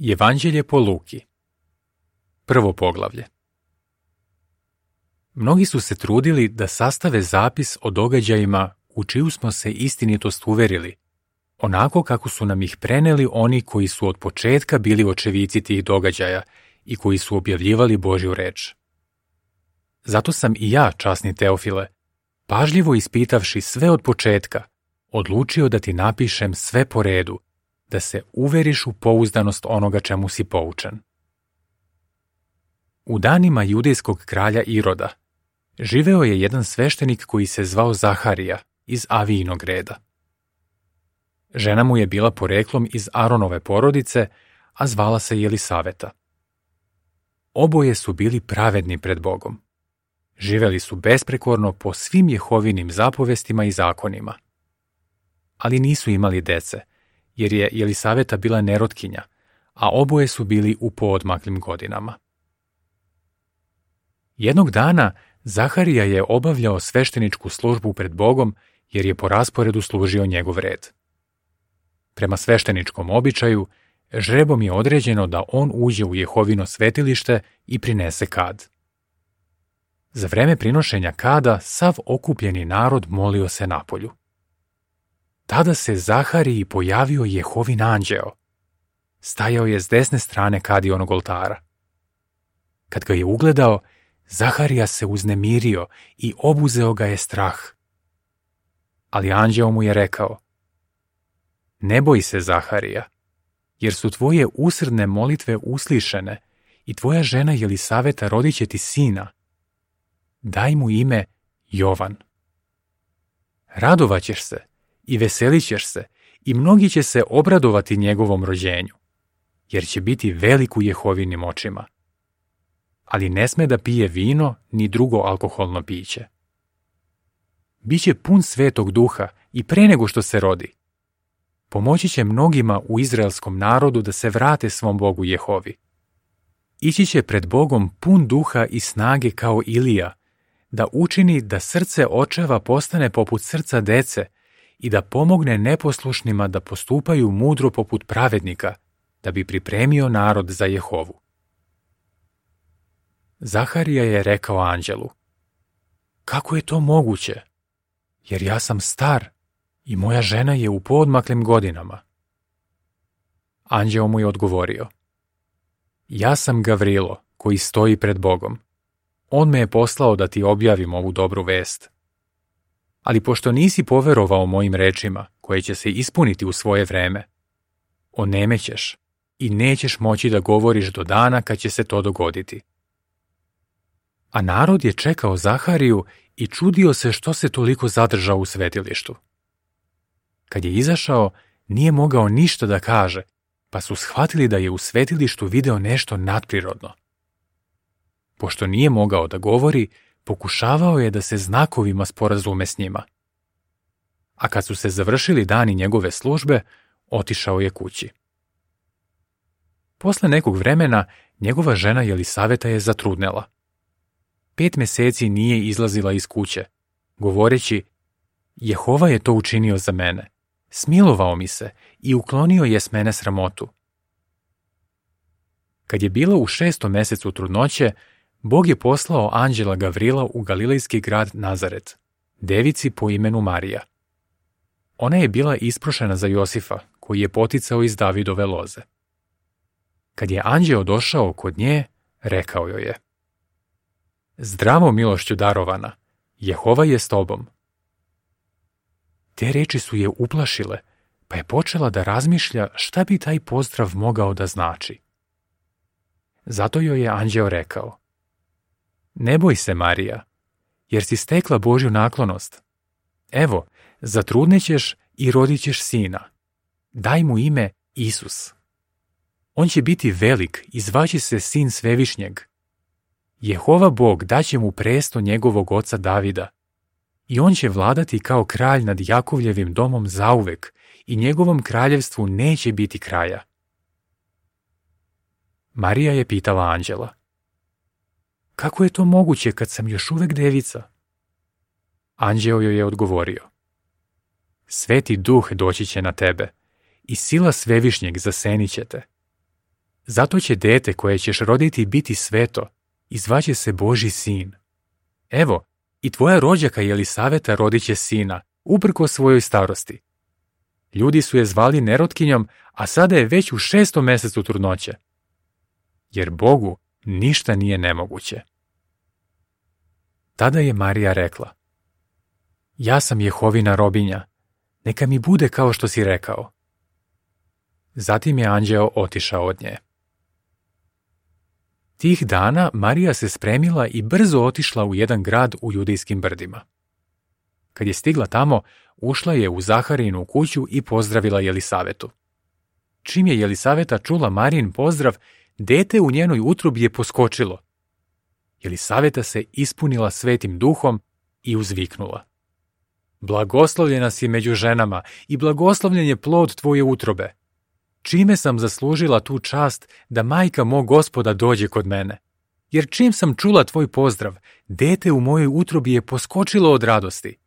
Evanđelje po Luki. Prvo poglavlje. Mnogi su se trudili da sastave zapis o događajima u čiju smo se istinitost uverili, onako kako su nam ih preneli oni koji su od početka bili očevici tih događaja i koji su objavljivali Božju reč. Zato sam i ja, časni Teofile, pažljivo ispitavši sve od početka, odlučio da ti napišem sve po redu, da se uveriš u pouzdanost onoga čemu si poučen. U danima judejskog kralja Iroda živeo je jedan sveštenik koji se zvao Zaharija iz Avijinog reda. Žena mu je bila poreklom iz Aronove porodice, a zvala se Jelisaveta. Oboje su bili pravedni pred Bogom. Živeli su besprekorno po svim Jehovinim zapovestima i zakonima. Ali nisu imali dece, jer je Jelisaveta bila nerotkinja, a oboje su bili u poodmaklim godinama. Jednog dana Zaharija je obavljao svešteničku službu pred Bogom, jer je po rasporedu služio njegov red. Prema svešteničkom običaju, žrebom je određeno da on uđe u Jehovino svetilište i prinese kad. Za vreme prinošenja kada sav okupljeni narod molio se napolju. Tada se Zahariji pojavio Jehovin anđeo. Stajao je s desne strane kadionog oltara. Kad ga je ugledao, Zaharija se uznemirio i obuzeo ga je strah. Ali anđeo mu je rekao: Ne boj se, Zaharija, jer su tvoje usrdne molitve uslišene i tvoja žena Jelisaveta rodit će ti sina. Daj mu ime Jovan. Radovaćeš se i veselit ćeš se i mnogi će se obradovati njegovom rođenju, jer će biti velik u Jehovinim očima. Ali ne sme da pije vino ni drugo alkoholno piće. Biće pun Svetog Duha i pre nego što se rodi. Pomoći će mnogima u izraelskom narodu da se vrate svom Bogu Jehovi. Ići će pred Bogom pun duha i snage kao Ilija, da učini da srce očeva postane poput srca dece i da pomogne neposlušnima da postupaju mudro poput pravednika, da bi pripremio narod za Jehovu. Zaharija je rekao anđelu: Kako je to moguće? Jer ja sam star i moja žena je u poodmaklim godinama. Anđeo mu je odgovorio: Ja sam Gavrilo, koji stoji pred Bogom. On me je poslao da ti objavim ovu dobru vest. Ali pošto nisi poverovao mojim rečima, koje će se ispuniti u svoje vreme, onemećeš i nećeš moći da govoriš do dana kad će se to dogoditi. A narod je čekao Zahariju i čudio se što se toliko zadržao u svetilištu. Kad je izašao, nije mogao ništa da kaže, pa su shvatili da je u svetilištu video nešto nadprirodno. Pošto nije mogao da govori, pokušavao je da se znakovima sporazume s njima. A kad su se završili dani njegove službe, otišao je kući. Posle nekog vremena, njegova žena Jelisaveta je zatrudnela. 5 meseci nije izlazila iz kuće, govoreći: Jehova je to učinio za mene, smilovao mi se i uklonio je s mene sramotu. Kad je bila u 6. mesecu trudnoće, Bog je poslao anđela Gavrila u galilejski grad Nazaret, devici po imenu Marija. Ona je bila isprošena za Josifa, koji je poticao iz Davidove loze. Kad je anđeo došao kod nje, rekao joj je: Zdravo, milošću darovana, Jehova je s tobom. Te reči su je uplašile, pa je počela da razmišlja šta bi taj pozdrav mogao da znači. Zato joj je anđeo rekao: Ne boj se, Marija, jer si stekla Božju naklonost. Evo, zatrudnećeš i rodit ćeš sina. Daj mu ime Isus. On će biti velik i zvaće se Sin Svevišnjeg. Jehova Bog daće mu presto njegovog oca Davida i on će vladati kao kralj nad Jakovljevim domom zauvek i njegovom kraljevstvu neće biti kraja. Marija je pitala anđela: Kako je to moguće kad sam još uvek devica? Anđeo joj je odgovorio: Sveti Duh doći će na tebe i sila Svevišnjeg zasenit će te. Zato će dete koje ćeš roditi biti sveto i zvaće se Božji sin. Evo, i tvoja rođaka Jelisaveta rodit će sina, uprkos svojoj starosti. Ljudi su je zvali nerotkinjom, a sada je već u 6. mesecu trudnoće. Jer Bogu ništa nije nemoguće. Tada je Marija rekla: Ja sam Jehovina robinja, neka mi bude kao što si rekao. Zatim je anđeo otišao od nje. Tih dana Marija se spremila i brzo otišla u jedan grad u judejskim brdima. Kad je stigla tamo, ušla je u Zaharijinu kuću i pozdravila Jelisavetu. Čim je Jelisaveta čula Marijin pozdrav, dete u njenoj utrobi je poskočilo. Jelisaveta se ispunila Svetim Duhom i uzviknula: Blagoslovljena si među ženama i blagoslovljen je plod tvoje utrobe. Čime sam zaslužila tu čast da majka mog Gospoda dođe kod mene? Jer čim sam čula tvoj pozdrav, dete u mojoj utrobi je poskočilo od radosti.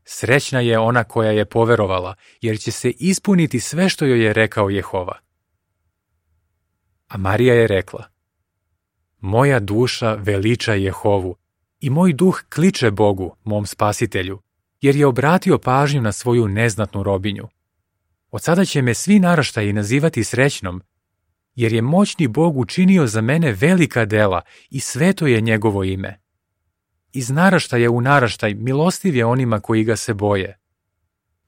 Srećna je ona koja je poverovala, jer će se ispuniti sve što joj je rekao Jehova. A Marija je rekla: Moja duša veliča Jehovu i moj duh kliče Bogu, mom spasitelju, jer je obratio pažnju na svoju neznatnu robinju. Od sada će me svi naraštaji nazivati srećnom, jer je moćni Bog učinio za mene velika dela i sveto je njegovo ime. Iz naraštaja u naraštaj milostiv je onima koji ga se boje.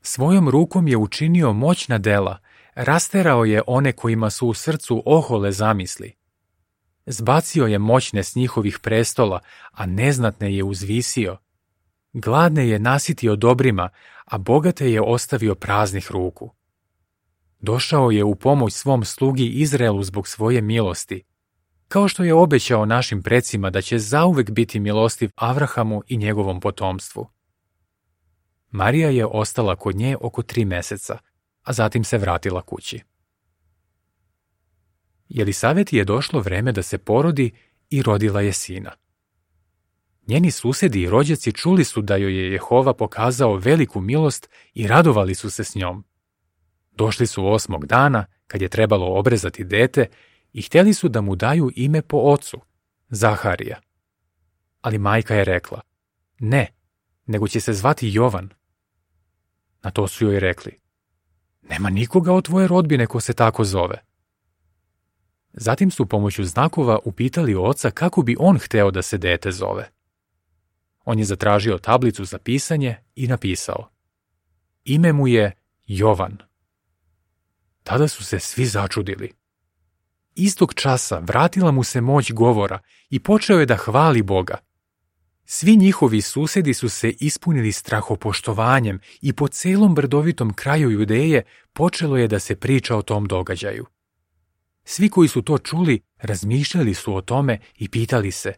Svojom rukom je učinio moćna dela, rasterao je one kojima su u srcu ohole zamisli. Zbacio je moćne s njihovih prestola, a neznatne je uzvisio. Gladne je nasitio dobrima, a bogate je ostavio praznih ruku. Došao je u pomoć svom slugi Izraelu zbog svoje milosti, kao što je obećao našim precima da će zauvek biti milostiv Avrahamu i njegovom potomstvu. Marija je ostala kod nje oko 3 meseca, a zatim se vratila kući. Jelisaveti je došlo vreme da se porodi i rodila je sina. Njeni susedi i rođaci čuli su da joj je Jehova pokazao veliku milost i radovali su se s njom. Došli su 8. dana, kad je trebalo obrezati dete, i htjeli su da mu daju ime po ocu, Zaharija. Ali majka je rekla: Ne, nego će se zvati Jovan. Na to su joj rekli: Nema nikoga od tvoje rodbine ko se tako zove. Zatim su pomoću znakova upitali oca kako bi on hteo da se dete zove. On je zatražio tablicu za pisanje i napisao: Ime mu je Jovan. Tada su se svi začudili. Istog časa vratila mu se moć govora i počeo je da hvali Boga. Svi njihovi susedi su se ispunili strahopoštovanjem i po celom brdovitom kraju Judeje počelo je da se priča o tom događaju. Svi koji su to čuli razmišljali su o tome i pitali se: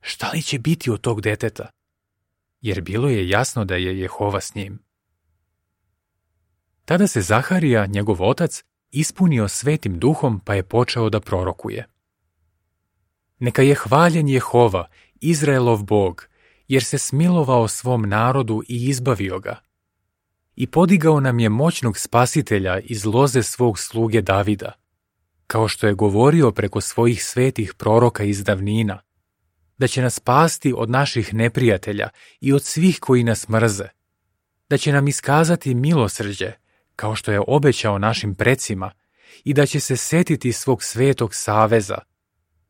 Šta li će biti od tog deteta? Jer bilo je jasno da je Jehova s njim. Tada se Zaharija, njegov otac, ispunio Svetim Duhom pa je počeo da prorokuje: Neka je hvaljen Jehova, Izraelov Bog, jer se smilovao svom narodu i izbavio ga. I podigao nam je moćnog spasitelja iz loze svog sluge Davida, kao što je govorio preko svojih svetih proroka iz davnina, da će nas spasti od naših neprijatelja i od svih koji nas mrze, da će nam iskazati milosrđe, kao što je obećao našim precima, i da će se setiti svog svetog saveza,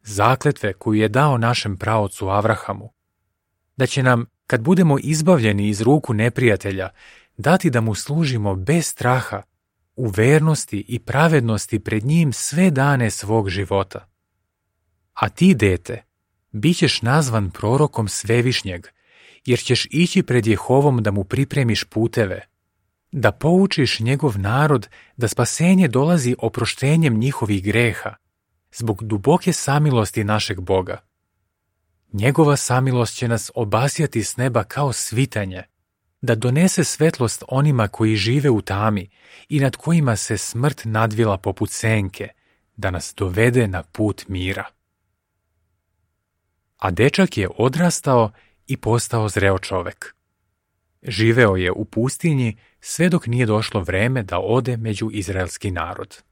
zakletve koju je dao našem praocu Avrahamu, da će nam, kad budemo izbavljeni iz ruku neprijatelja, dati da mu služimo bez straha, u vernosti i pravednosti pred njim sve dane svog života. A ti, dete, bit ćeš nazvan prorokom Svevišnjeg, jer ćeš ići pred Jehovom da mu pripremiš puteve, da poučiš njegov narod da spasenje dolazi oproštenjem njihovih greha, zbog duboke samilosti našeg Boga. Njegova samilost će nas obasjati s neba kao svitanje, da donese svetlost onima koji žive u tami i nad kojima se smrt nadvila poput senke, da nas dovede na put mira. A dečak je odrastao i postao zreo čovek. Živeo je u pustinji sve dok nije došlo vreme da ode među izraelski narod.